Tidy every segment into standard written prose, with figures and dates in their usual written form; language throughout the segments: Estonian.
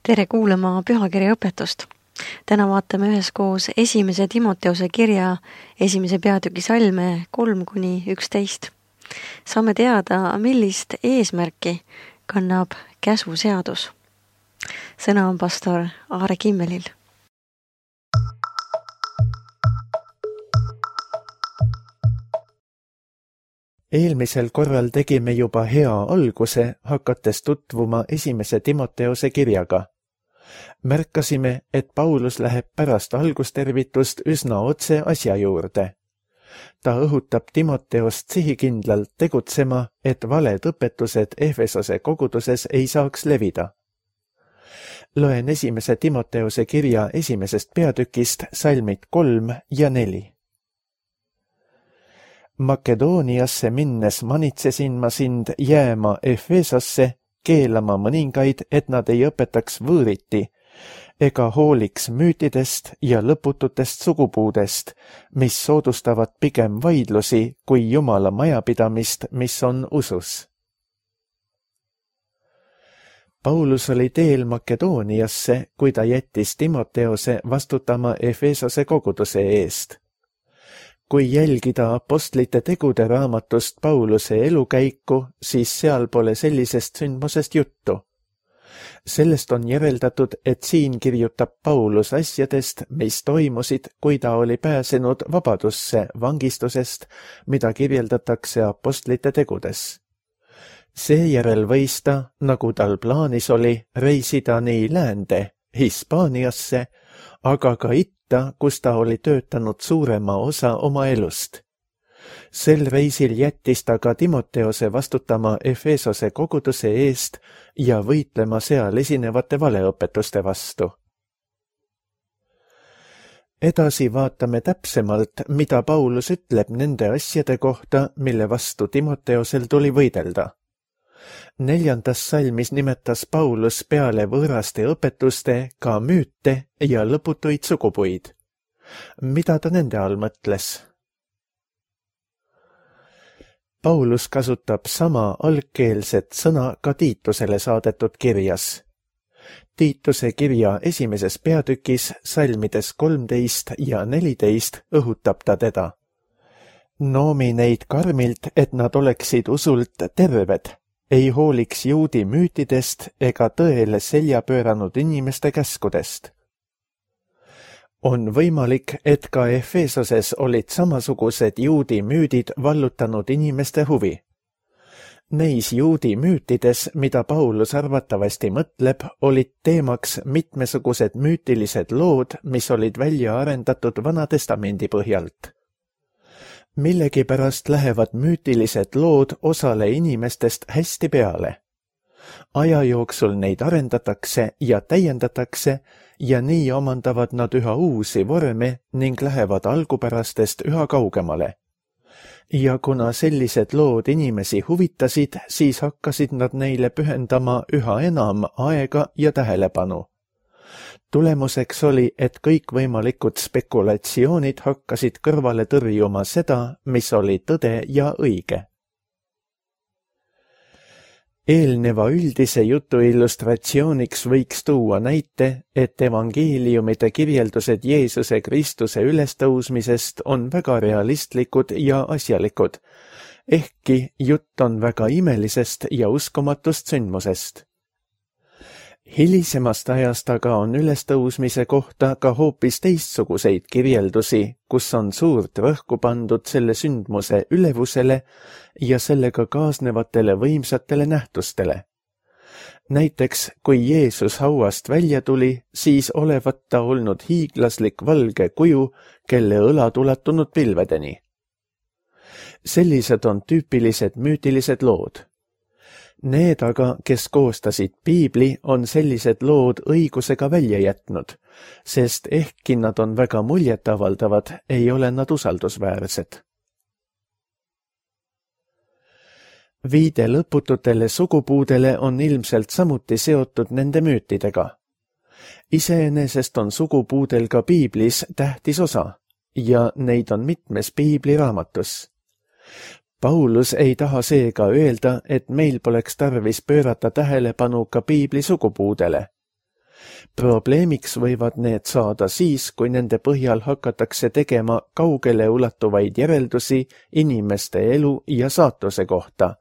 Tere kuulama pühakirja õpetust. Täna vaatame üheskoos 1. Timoteuse kirja 1. peatüki salme 3-11. Saame teada, millist eesmärki kannab käsuseadus. Sõna on pastor Aare Kimmelil. Eelmisel korral tegime juba hea alguse, hakates tutvuma 1. Timoteuse kirjaga. Märkasime, et Paulus läheb pärast algustervitust üsna otse asja juurde. Ta õhutab Timoteost sihikindlalt tegutsema, et valed õpetused Efesose koguduses ei saaks levida. Loen 1. Timoteuse kirja 1. peatükist salmid 3 ja 4. Makedooniasse minnes manitsesin ma sind jääma Efesosse, keelama mõningaid, et nad ei õpetaks võõriti, ega hooliks müütidest ja lõpututest sugupuudest, mis soodustavad pigem vaidlusi kui Jumala majapidamist, mis on usus. Paulus oli teel Makedooniasse, kui ta jättis Timoteose vastutama Efesose koguduse eest. Kui jälgida apostlite tegude raamatust Pauluse elukäiku, siis seal pole sellisest sündmusest juttu. Sellest on järeldatud, et siin kirjutab Paulus asjadest, mis toimusid, kui ta oli pääsenud vabadusse vangistusest, mida kirjeldatakse apostlite tegudes. Seejärel võis ta, nagu tal plaanis oli, reisida nii läände, Hispaaniasse, aga ka kus ta oli töötanud suurema osa oma elust. Sel reisil jättis ta ka Timoteose vastutama Efesose koguduse eest ja võitlema seal esinevate valeõpetuste vastu. Edasi vaatame täpsemalt, mida Paulus ütleb nende asjade kohta, mille vastu Timoteosel tuli võidelda. 4. salmis nimetas Paulus peale võõraste õpetuste ka müüte ja lõputuid sugupuid. Mida ta nende all mõtles? Paulus kasutab sama algkeelset sõna ka Tiitusele saadetud kirjas. Tiituse kirja 1. peatükis salmides 13 ja 14 õhutab ta teda. Noomi neid karmilt, et nad oleksid usult terved, ei hooliks juudi müütidest ega tõele selja pööranud inimeste käskudest. On võimalik, et ka Efesoses olid samasugused juudi müüdid vallutanud inimeste huvi. Neis juudi müütides, mida Paulus arvatavasti mõtleb, olid teemaks mitmesugused müütilised lood, mis olid välja arendatud Vana Testamendi põhjalt. Millegipärast lähevad müütilised lood osale inimestest hästi peale. Aja jooksul neid arendatakse ja täiendatakse ja nii omandavad nad üha uusi vorme ning lähevad algupärastest üha kaugemale. Ja kuna sellised lood inimesi huvitasid, siis hakkasid nad neile pühendama üha enam aega ja tähelepanu. Tulemuseks oli, et kõikvõimalikud spekulatsioonid hakkasid kõrvale tõrjuma seda, mis oli tõde ja õige. Eelneva üldise jutu illustratsiooniks võiks tuua näite, et evangeeliumide kirjeldused Jeesuse Kristuse ülestõusmisest on väga realistlikud ja asjalikud, ehkki jutt on väga imelisest ja uskumatust sündmusest. Hilisemast ajast aga on ülestõusmise kohta ka hoopis teistsuguseid kirjeldusi, kus on suurt rõhku pandud selle sündmuse ülevusele ja sellega kaasnevatele võimsatele nähtustele. Näiteks, kui Jeesus hauast välja tuli, siis olevat ta olnud hiiglaslik valge kuju, kelle õlad ulatunud pilvedeni. Sellised on tüüpilised müütilised lood. Need aga, kes koostasid piibli, on sellised lood õigusega välja jätnud, sest ehkki nad on väga muljetavaldavad, ei ole nad usaldusväärsed. Viide lõpututele sugupuudele on ilmselt samuti seotud nende müütidega. Iseenesest on sugupuudel ka piiblis tähtis osa ja neid on mitmes piibliraamatus. Paulus ei taha seega öelda, et meil poleks tarvis pöörata tähelepanu ka piibli sugupuudele. Probleemiks võivad need saada siis, kui nende põhjal hakatakse tegema kaugele ulatuvaid järeldusi inimeste elu ja saatuse kohta,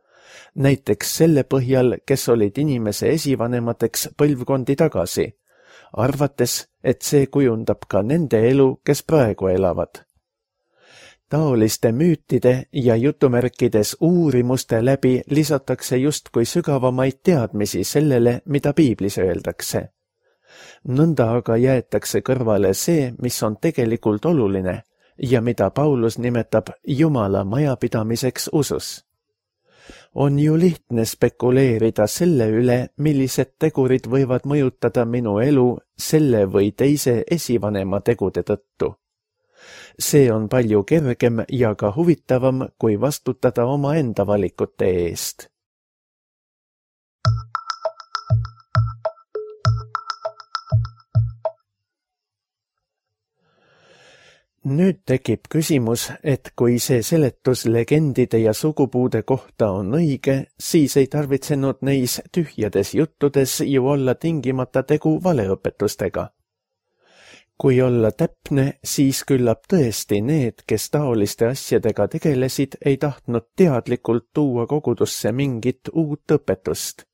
näiteks selle põhjal, kes olid inimese esivanemateks põlvkondi tagasi, arvates, et see kujundab ka nende elu, kes praegu elavad. Taoliste müütide ja jutumärkides uurimuste läbi lisatakse justkui sügavamaid teadmisi sellele, mida piiblis öeldakse. Nõnda aga jäetakse kõrvale see, mis on tegelikult oluline ja mida Paulus nimetab Jumala majapidamiseks usus. On ju lihtne spekuleerida selle üle, millised tegurid võivad mõjutada minu elu selle või teise esivanema tegude tõttu. See on palju kergem ja ka huvitavam, kui vastutada omaenda valikute eest. Nüüd tekib küsimus, et kui see seletus legendide ja sugupuude kohta on õige, siis ei tarvitsenud neis tühjades juttudes ju olla tingimata tegu valeõpetustega. Kui olla täpne, siis küllap tõesti need, kes taoliste asjadega tegelesid, ei tahtnud teadlikult tuua kogudusse mingit uut õpetust.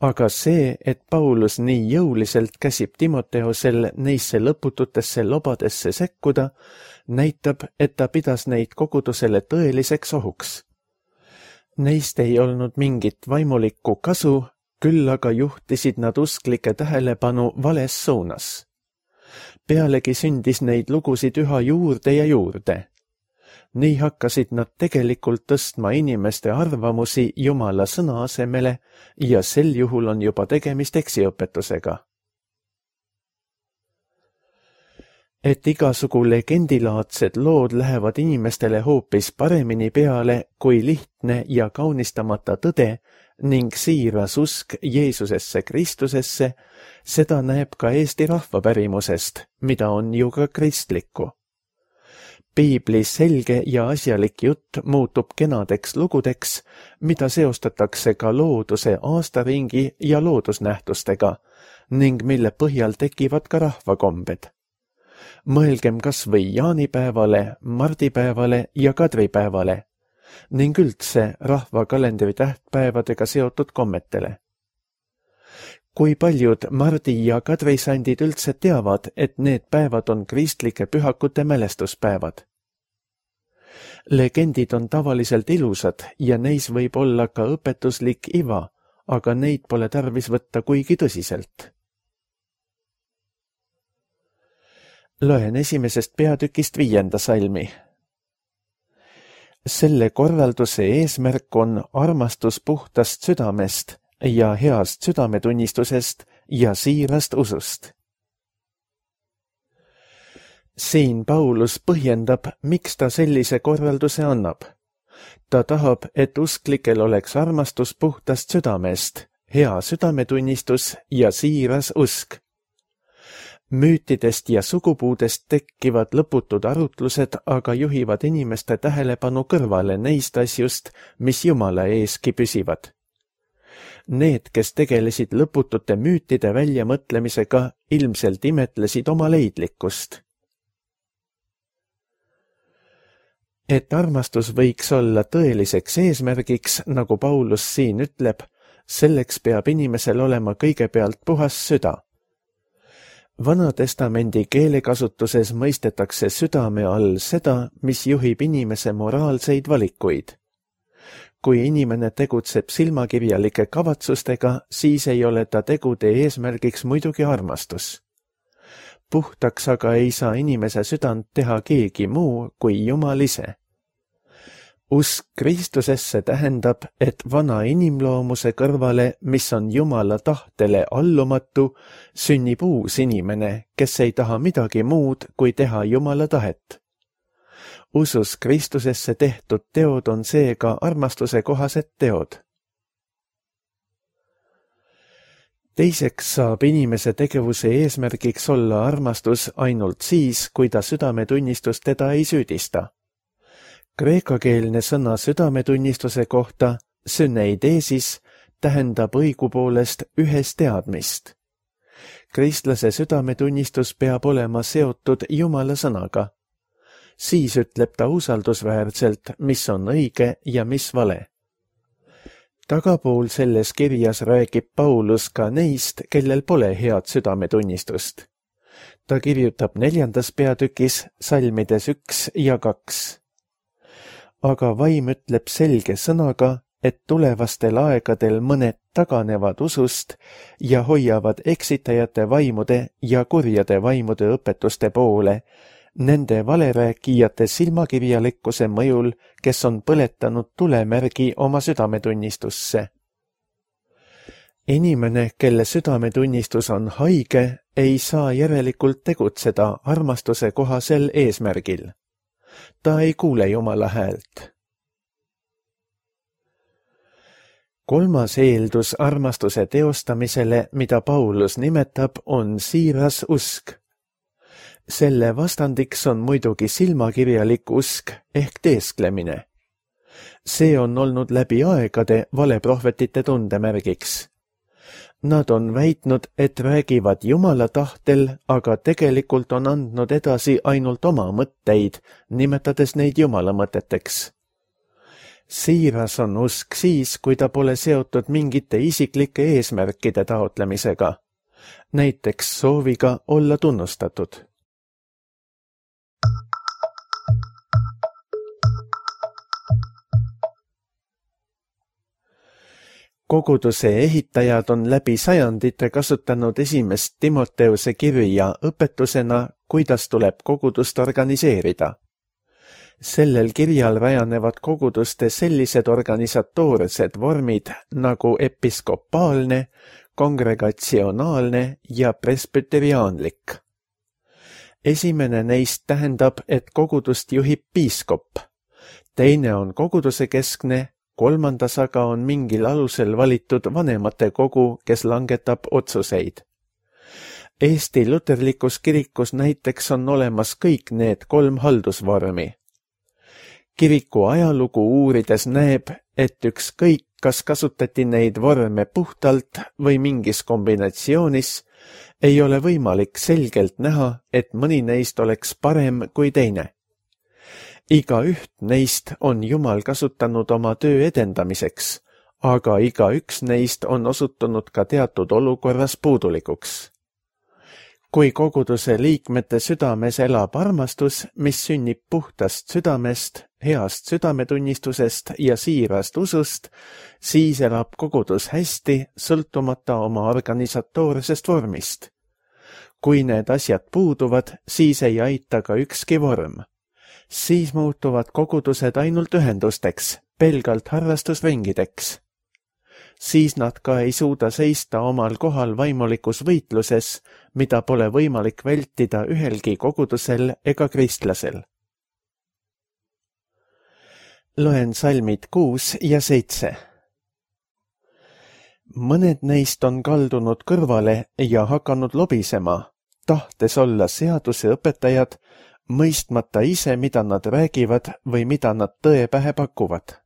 Aga see, et Paulus nii jõuliselt käsib Timoteosel neisse lõpututesse lobadesse sekkuda, näitab, et ta pidas neid kogudusele tõeliseks ohuks. Neist ei olnud mingit vaimulikku kasu, küll aga juhtisid nad usklike tähelepanu vales suunas. Pealegi sündis neid lugusid üha juurde ja juurde. Nii hakkasid nad tegelikult tõstma inimeste arvamusi Jumala sõna asemele ja sel juhul on juba tegemist eksiõpetusega. Et igasugu legendilaadsed lood lähevad inimestele hoopis paremini peale kui lihtne ja kaunistamata tõde ning siiras usk Jeesusesse Kristusesse, seda näeb ka Eesti rahvapärimusest, mida on ju ka kristlikku. Piibli selge ja asjalik jutt muutub kenadeks lugudeks, mida seostatakse ka looduse aastaringi ja loodusnähtustega ning mille põhjal tekivad ka rahvakombed. Mõelgem kas või jaanipäevale, mardipäevale ja kadripäevale ning üldse rahvakalendri tähtpäevadega seotud kommetele. Kui paljud mardi- ja kadrisandid üldse teavad, et need päevad on kristlike pühakute mälestuspäevad? Legendid on tavaliselt ilusad ja neis võib olla ka õpetuslik iva, aga neid pole tarvis võtta kuigi tõsiselt. Loen 1. peatükist 5. salmi. Selle korralduse eesmärk on armastus puhtast südamest ja heast südametunnistusest ja siirast usust. Siin Paulus põhjendab, miks ta sellise korralduse annab. Ta tahab, et usklikel oleks armastus puhtast südamest, hea südametunnistus ja siiras usk. Müütidest ja sugupuudest tekkivad lõputud arutlused aga juhivad inimeste tähelepanu kõrvale neist asjust, mis Jumala eeski püsivad. Need, kes tegelesid lõputute müütide väljamõtlemisega, ilmselt imetlesid oma leidlikkust. Et armastus võiks olla tõeliseks eesmärgiks, nagu Paulus siin ütleb, selleks peab inimesel olema kõigepealt puhas süda. Vanatestamendi keelekasutuses mõistetakse südame all seda, mis juhib inimese moraalseid valikuid. Kui inimene tegutseb silmakirjalike kavatsustega, siis ei ole ta tegude eesmärgiks muidugi armastus. Puhtaks aga ei saa inimese südant teha keegi muu kui Jumal ise. Usk Kristusesse tähendab, et vana inimloomuse kõrvale, mis on Jumala tahtele allumatu, sünnib uus inimene, kes ei taha midagi muud, kui teha Jumala tahet. Usus Kristusesse tehtud teod on seega armastuse kohased teod. Teiseks saab inimese tegevuse eesmärgiks olla armastus ainult siis, kui ta südametunnistus teda ei süüdista. Kreekakeelne sõna südametunnistuse kohta, syneidesis, tähendab õigupoolest ühes teadmist. Kristlase südametunnistus peab olema seotud Jumala sõnaga. Siis ütleb ta usaldusväärselt, mis on õige ja mis vale. Tagapool selles kirjas räägib Paulus ka neist, kellel pole head südametunnistust. Ta kirjutab 4. peatükis salmides 1 ja 2. Aga vaim ütleb selge sõnaga, et tulevastel aegadel mõned taganevad usust ja hoiavad eksitajate vaimude ja kurjade vaimude õpetuste poole, nende valerääkijate silmakirjalikkuse mõjul, kes on põletanud tulemärgi oma südametunnistusse. Inimene, kelle südametunnistus on haige, ei saa järelikult tegutseda armastuse kohasel eesmärgil. Ta ei kuule Jumala häält. 3. eeldus armastuse teostamisele, mida Paulus nimetab, on siiras usk. Selle vastandiks on muidugi silmakirjalik usk ehk teesklemine. See on olnud läbi aegade valeprohvetite tundemärgiks. Nad on väitnud, et räägivad Jumala tahtel, aga tegelikult on andnud edasi ainult oma mõtteid, nimetades neid Jumala mõteteks. Siiras on usk siis, kui ta pole seotud mingite isiklike eesmärkide taotlemisega, näiteks sooviga olla tunnustatud. Koguduse ehitajad on läbi sajandite kasutanud 1. Timoteuse kirja õpetusena, kuidas tuleb kogudust organiseerida. Sellel kirjal rajanevad koguduste sellised organisatoorsed vormid nagu episkopaalne, kongregatsionaalne ja presbyteriaanlik. Esimene neist tähendab, et kogudust juhib piiskop. Teine on koguduse keskne, 3. aga on mingil alusel valitud vanemate kogu, kes langetab otsuseid. Eesti luterlikus kirikus näiteks on olemas kõik need 3 haldusvormi. Kiriku ajalugu uurides näeb, et ükskõik, kas kasutati neid vorme puhtalt või mingis kombinatsioonis, ei ole võimalik selgelt näha, et mõni neist oleks parem kui teine. Igaüht neist on Jumal kasutanud oma töö edendamiseks, aga igaüks neist on osutunud ka teatud olukorras puudulikuks. Kui koguduse liikmete südames elab armastus, mis sünnib puhtast südamest, heast südametunnistusest ja siirast usust, siis elab kogudus hästi, sõltumata oma organisatoorsest vormist. Kui need asjad puuduvad, siis ei aita ka ükski vorm. Siis muutuvad kogudused ainult ühendusteks, pelgalt harrastusringideks. Siis nad ka ei suuda seista omal kohal vaimulikus võitluses, mida pole võimalik vältida ühelgi kogudusel ega kristlasel. Loen salmid 6 ja 7. Mõned neist on kaldunud kõrvale ja hakanud lobisema, tahtes olla seaduse õpetajad, mõistmata ise, mida nad räägivad või mida nad tõe pähe pakuvad.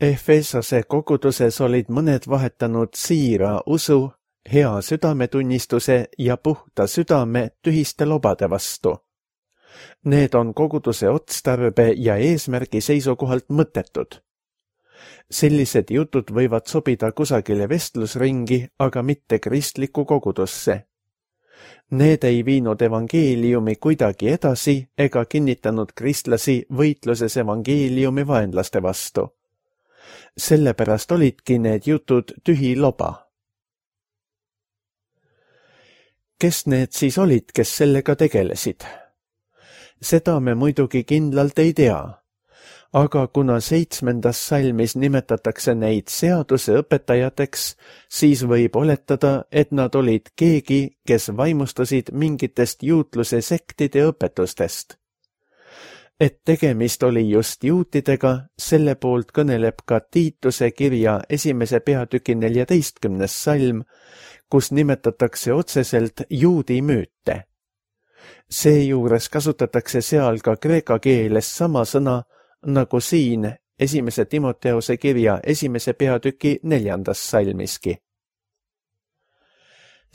Efesose koguduses olid mõned vahetanud siira usu, hea südametunnistuse ja puhta südame tühiste lobade vastu. Need on koguduse otstarbe ja eesmärgi seisukohalt mõttetud. Sellised jutud võivad sobida kusagile vestlusringi, aga mitte kristlikku kogudusse. Need ei viinud evangeeliumi kuidagi edasi ega kinnitanud kristlasi võitluses evangeeliumi vaenlaste vastu. Sellepärast olidki need jutud tühi loba. Kes need siis olid, kes sellega tegelesid? Seda me muidugi kindlalt ei tea, aga kuna 7. salmis nimetatakse neid seaduse õpetajateks, siis võib oletada, et nad olid keegi, kes vaimustusid mingitest juutluse sektide õpetustest. Et tegemist oli just juutidega, selle poolt kõneleb ka Tiituse kirja 1. peatüki 14. salm, kus nimetatakse otseselt juudi müüte. Seejuures kasutatakse seal ka kreeka keeles sama sõna, nagu siin 1. Timoteuse kirja 1. peatüki 4. salmiski.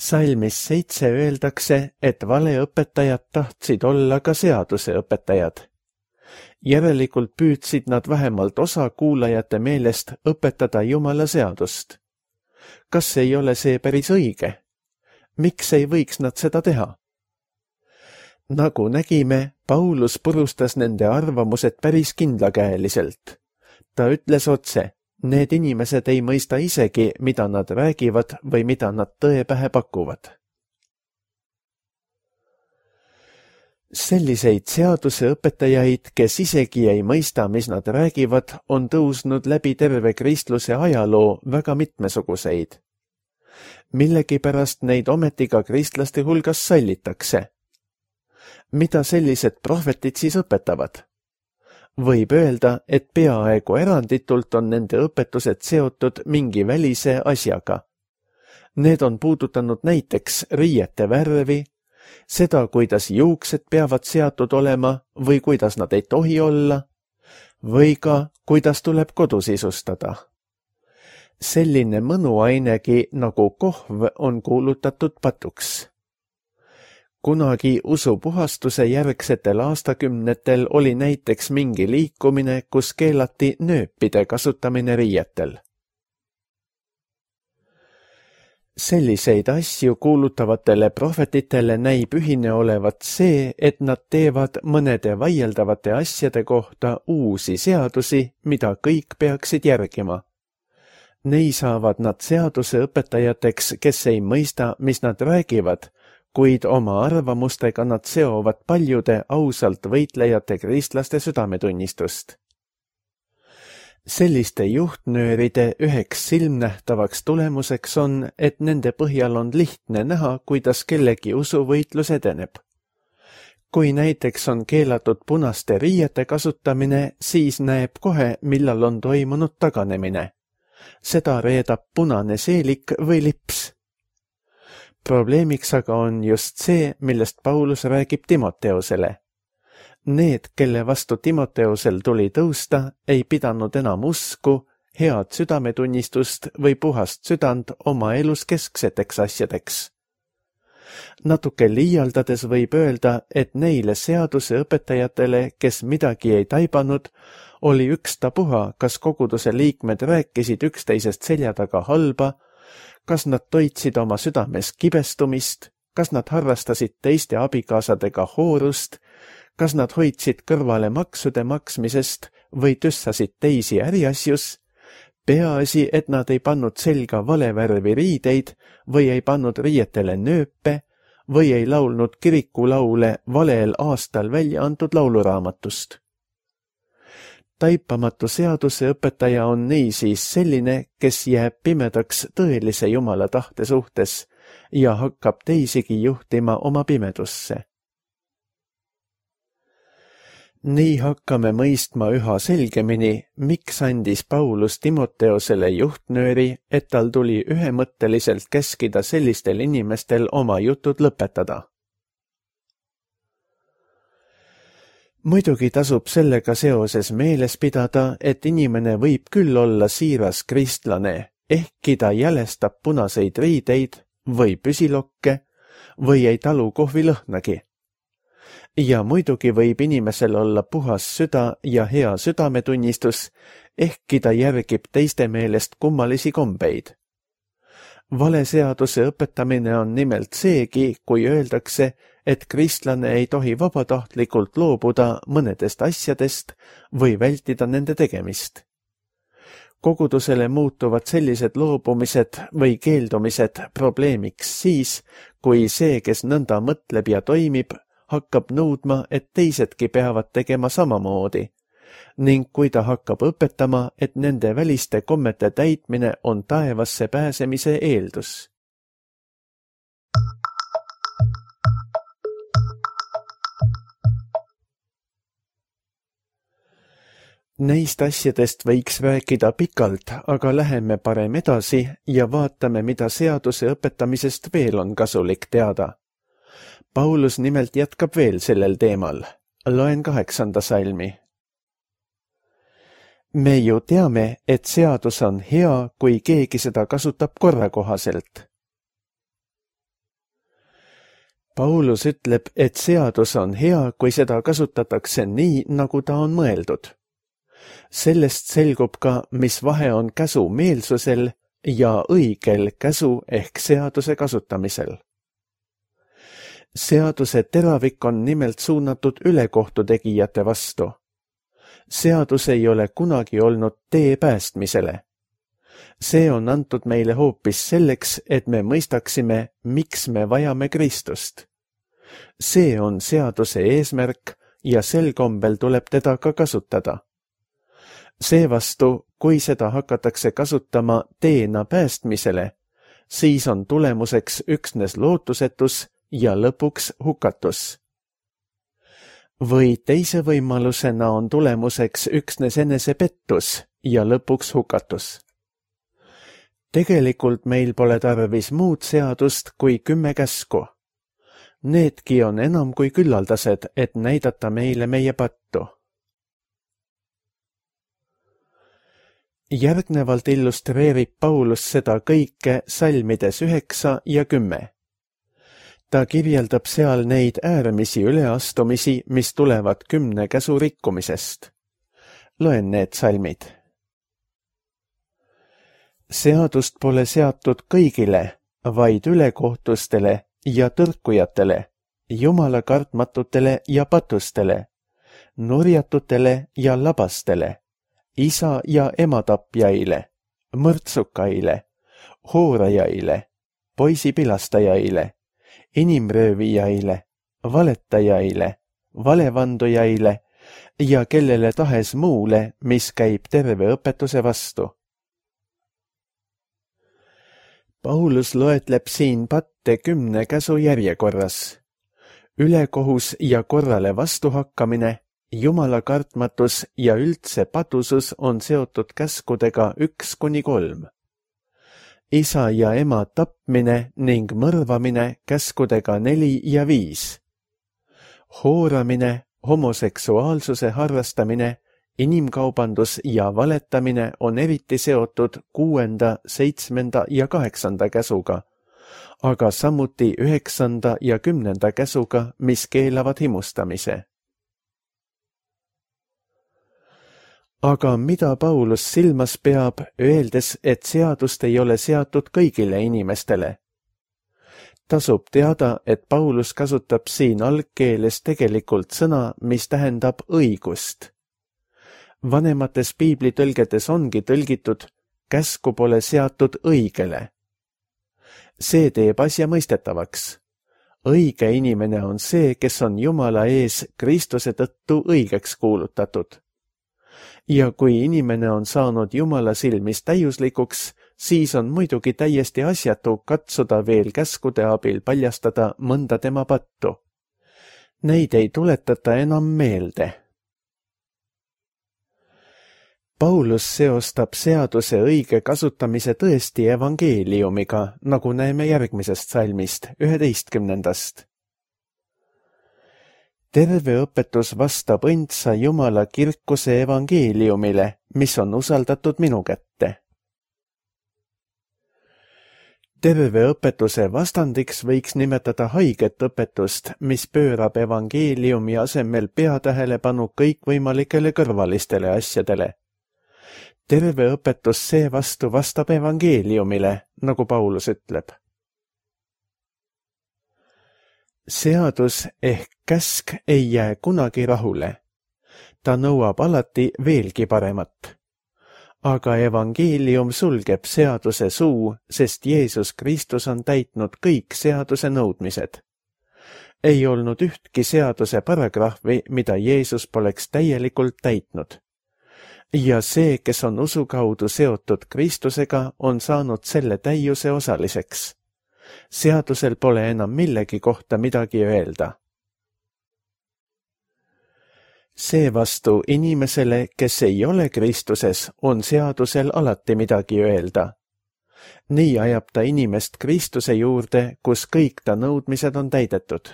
Salmis 7 öeldakse, et valeõpetajad tahtsid olla ka seaduseõpetajad. Järelikult püüdsid nad vähemalt osa kuulajate meelest õpetada Jumala seadust. Kas ei ole see päris õige? Miks ei võiks nad seda teha? Nagu nägime, Paulus purustas nende arvamused päris kindlakäeliselt. Ta ütles otse, need inimesed ei mõista isegi, mida nad räägivad või mida nad tõe pähe pakuvad. Selliseid seaduseõpetajaid, kes isegi ei mõista, mis nad räägivad, on tõusnud läbi terve kristluse ajaloo väga mitmesuguseid. Millegipärast neid ometi ka kristlaste hulgas sallitakse. Mida sellised prohvetid siis õpetavad? Võib öelda, et peaaegu eranditult on nende õpetused seotud mingi välise asjaga. Need on puudutanud näiteks riiete värvi, seda, kuidas juuksed peavad seatud olema või kuidas nad ei tohi olla, või ka, kuidas tuleb kodu sisustada. Selline mõnuainegi nagu kohv on kuulutatud patuks. Kunagi usupuhastuse järgsetel aastakümnetel oli näiteks mingi liikumine, kus keelati nööpide kasutamine riietel. Selliseid asju kuulutavatele prohvetitele näib ühine olevat see, et nad teevad mõnede vaieldavate asjade kohta uusi seadusi, mida kõik peaksid järgima. Nei saavad nad seaduseõpetajateks, kes ei mõista, mis nad räägivad, kuid oma arvamustega nad seovad paljude ausalt võitlejate kristlaste südametunnistust. Selliste juhtnööride üheks silmnähtavaks tulemuseks on, et nende põhjal on lihtne näha, kuidas kellegi usuvõitlus edeneb. Kui näiteks on keelatud punaste riiete kasutamine, siis näeb kohe, millal on toimunud taganemine. Seda reedab punane seelik või lips. Probleemiks aga on just see, millest Paulus räägib Timoteusele. Need, kelle vastu Timoteusel tuli tõusta, ei pidanud enam usku, head südametunnistust või puhast südant oma elus keskseteks asjadeks. Natuke liialdades võib öelda, et neile seaduseõpetajatele, kes midagi ei taibanud, oli ükstapuha, kas koguduse liikmed rääkisid üksteisest selja taga halba, kas nad toitsid oma südames kibestumist, kas nad harrastasid teiste abikaasadega hoorust, kas nad hoidsid kõrvale maksude maksmisest või tüssasid teisi äriasjus, peaasi, et nad ei pannud selga valevärvi riideid või ei pannud riietele nööpe või ei laulnud kirikulaule valel aastal välja antud lauluraamatust. Taipamatu seaduseõpetaja on niisiis selline, kes jääb pimedaks tõelise Jumala tahte suhtes ja hakkab teisigi juhtima oma pimedusse. Nii hakkame mõistma üha selgemini, miks andis Paulus Timoteusele juhtnööri, et tal tuli ühemõtteliselt käskida sellistel inimestel oma jutud lõpetada. Muidugi tasub sellega seoses meeles pidada, et inimene võib küll olla siiras kristlane, ehkki ta jälestab punaseid riideid või püsilokke või ei talu kohvilõhnagi. Ja muidugi võib inimesel olla puhas süda ja hea südametunnistus, ehkki ta järgib teiste meelest kummalisi kombeid. Valeseaduse õpetamine on nimelt seegi, kui öeldakse, et kristlane ei tohi vabatahtlikult loobuda mõnedest asjadest või vältida nende tegemist. Kogudusele muutuvad sellised loobumised või keeldumised probleemiks siis, kui see, kes nõnda mõtleb ja toimib, hakkab nõudma, et teisedki peavad tegema samamoodi, ning kui ta hakkab õpetama, et nende väliste kommete täitmine on taevasse pääsemise eeldus. Neist asjadest võiks rääkida pikalt, aga läheme parem edasi ja vaatame, mida seaduse õpetamisest veel on kasulik teada. Paulus nimelt jätkab veel sellel teemal. Loen 8. salmi. Me ju teame, et seadus on hea, kui keegi seda kasutab korrakohaselt. Paulus ütleb, et seadus on hea, kui seda kasutatakse nii, nagu ta on mõeldud. Sellest selgub ka, mis vahe on käsu meelsusel ja õigel käsu ehk seaduse kasutamisel. Seaduse teravik on nimelt suunatud ülekohtu tegijate vastu. Seadus ei ole kunagi olnud tee päästmisele. See on antud meile hoopis selleks, et me mõistaksime, miks me vajame Kristust. See on seaduse eesmärk ja sel kombel tuleb teda ka kasutada. Seevastu, kui seda hakatakse kasutama teena päästmisele, siis on tulemuseks üksnes lootusetus ja lõpuks hukatus. Või teise võimalusena on tulemuseks üksnes enesepettus ja lõpuks hukatus. Tegelikult meil pole tarvis muud seadust kui 10 käsku. Needki on enam kui küllaldased, et näidata meile meie pattu. Järgnevalt illustreerib Paulus seda kõike salmides 9 ja 10. Ta kirjeldab seal neid äärmisi üleastumisi, mis tulevad 10 käsu rikkumisest. Loen need salmid. Seadust pole seatud kõigile, vaid ülekohtustele ja tõrkujatele, Jumala kartmatutele ja patustele, nurjatutele ja labastele, isa ja ema tapjaile, mõrtsukaile, hoorajaile, poisipilastajaile, inimröövijaile, valetajaile, valevandujaile ja kellele tahes muule, mis käib terve õpetuse vastu. Paulus loetleb siin patte 10 käsu järjekorras. Ülekohus ja korrale vastuhakkamine, Jumala kartmatus ja üldse patusus on seotud käskudega 1-3. Isa ja ema tapmine ning mõrvamine käskudega 4 ja 5. Hooramine, homoseksuaalsuse harrastamine, inimkaubandus ja valetamine on eriti seotud 6., 7. ja 8. käsuga, aga samuti 9. ja 10. käsuga, mis keelavad himustamise. Aga mida Paulus silmas peab, öeldes, et seadust ei ole seatud kõigile inimestele? Tasub teada, et Paulus kasutab siin algkeeles tegelikult sõna, mis tähendab õigust. Vanemates piiblitõlgedes ongi tõlgitud, käsku pole seatud õigele. See teeb asja mõistetavaks. Õige inimene on see, kes on Jumala ees Kristuse tõttu õigeks kuulutatud. Ja kui inimene on saanud Jumala silmis täiuslikuks, siis on muidugi täiesti asjatu katsuda veel käskude abil paljastada mõnda tema pattu. Neid ei tuletata enam meelde. Paulus seostab seaduse õige kasutamise tõesti evangeeliumiga, nagu näeme järgmisest salmist, 11. Terve õpetus vastab õndsa Jumala kirkuse evangeeliumile, mis on usaldatud minu kätte. Terve õpetuse vastandiks võiks nimetada haiget õpetust, mis pöörab evangeeliumi asemel peatähelepanu kõikvõimalikele kõrvalistele asjadele. Terve õpetus seevastu vastab evangeeliumile, nagu Paulus ütleb. Seadus ehk käsk ei jää kunagi rahule. Ta nõuab alati veelgi paremat. Aga evangeelium sulgeb seaduse suu, sest Jeesus Kristus on täitnud kõik seaduse nõudmised. Ei olnud ühtki seaduse paragrahvi, mida Jeesus poleks täielikult täitnud. Ja see, kes on usu kaudu seotud Kristusega, on saanud selle täiuse osaliseks. Seadusel pole enam millegi kohta midagi öelda. Seevastu inimesele, kes ei ole Kristuses, on seadusel alati midagi öelda. Nii ajab ta inimest Kristuse juurde, kus kõik ta nõudmised on täidetud.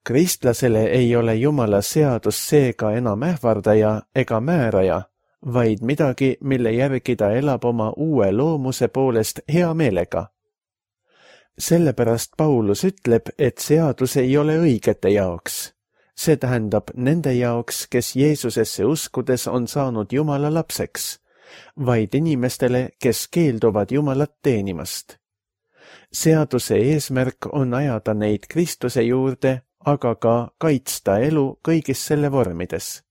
Kristlasele ei ole Jumala seadus seega enam ähvardaja ega määraja, vaid midagi, mille järgi ta elab oma uue loomuse poolest hea meelega. Sellepärast Paulus ütleb, et seadus ei ole õigete jaoks. See tähendab nende jaoks, kes Jeesusesse uskudes on saanud Jumala lapseks, vaid inimestele, kes keelduvad Jumalat teenimast. Seaduse eesmärk on ajada neid Kristuse juurde, aga ka kaitsta elu kõigis selle vormides.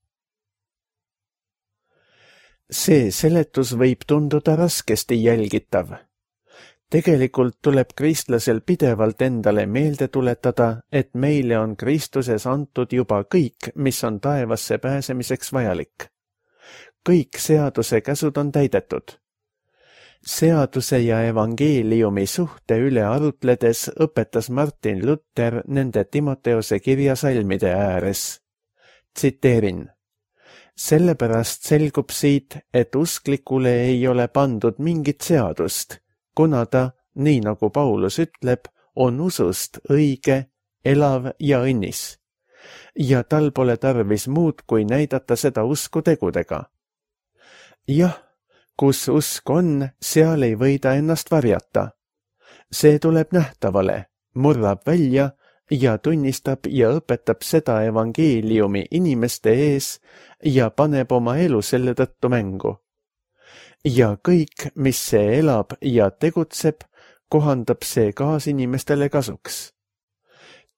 See seletus võib tunduda raskesti jälgitav. Tegelikult tuleb kristlasel pidevalt endale meelde tuletada, et meile on Kristuses antud juba kõik, mis on taevasse pääsemiseks vajalik. Kõik seaduse käsud on täidetud. Seaduse ja evangeeliumi suhte üle arutledes õpetas Martin Luther nende Timoteose kirja salmide ääres. Tsiteerin. Sellepärast selgub siit, et usklikule ei ole pandud mingit seadust, kuna ta, nii nagu Paulus ütleb, on usust õige, elav ja õnnis. Ja tal pole tarvis muud, kui näidata seda usku tegudega. Jah, kus usk on, seal ei võida ennast varjata. See tuleb nähtavale, murrab välja ja tunnistab ja õpetab seda evangeeliumi inimeste ees ja paneb oma elu selle tõttu mängu. Ja kõik, mis see elab ja tegutseb, kohandab see kaasinimestele kasuks.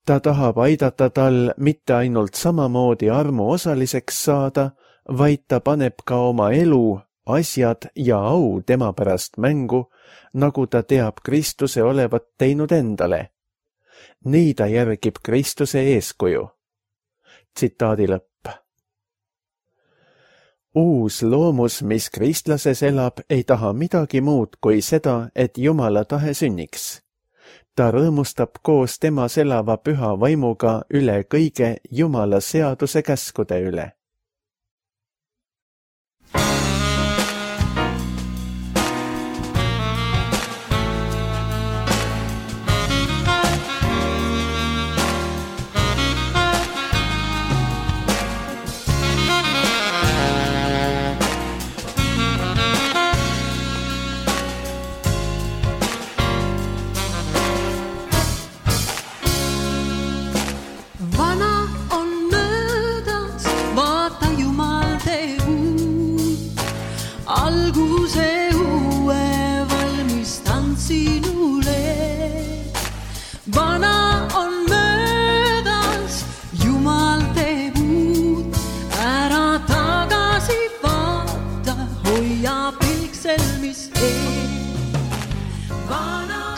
Ta tahab aidata tal mitte ainult samamoodi armu osaliseks saada, vaid ta paneb ka oma elu, asjad ja au tema pärast mängu, nagu ta teab Kristuse olevat teinud endale. Nii ta järgib Kristuse eeskuju. Tsitaadi lõpp. Uus loomus, mis kristlases elab, ei taha midagi muud kui seda, et Jumala tahe sünniks. Ta rõõmustab koos temas elava püha vaimuga üle kõige Jumala seaduse käskude üle.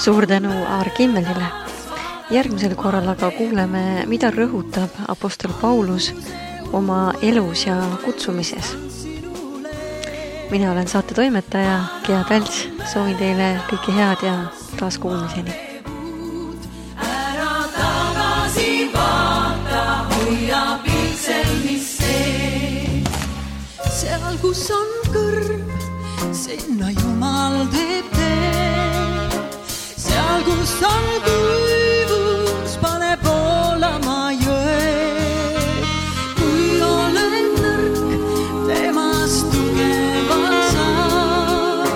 Suur tänu Aar Kimmelile. Järgmisel korral aga kuuleme, mida rõhutab apostel Paulus oma elus ja kutsumises. Mina olen saate toimetaja Gea Tälts, soovin teile kõike head ja taas kuulmiseni. Ära tagasi vaata, hoia pilksel mis sees. Seal kus on kõrv, sinna Jumal teeb tee. Seal kus on kuivus, pane poolama jõed. Kui olen nõrk, temast tugevalt saab.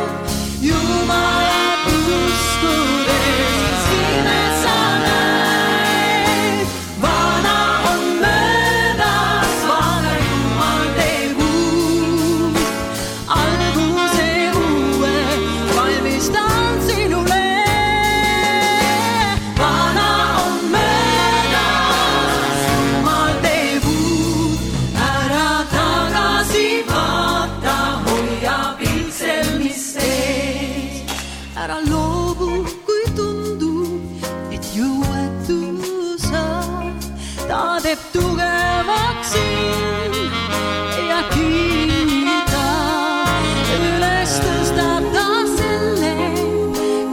Jumalat uskudes, ilmes sa näed. Vana on möödas, vana Jumal teeb uut. Alguse uue valmistan sinule. Ära loobu, kui tundub, et jõuetu sa. Ta teeb tugevaks sind ja kinnita. Üles tõstab ta selle,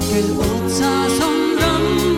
kel otsas on ramm.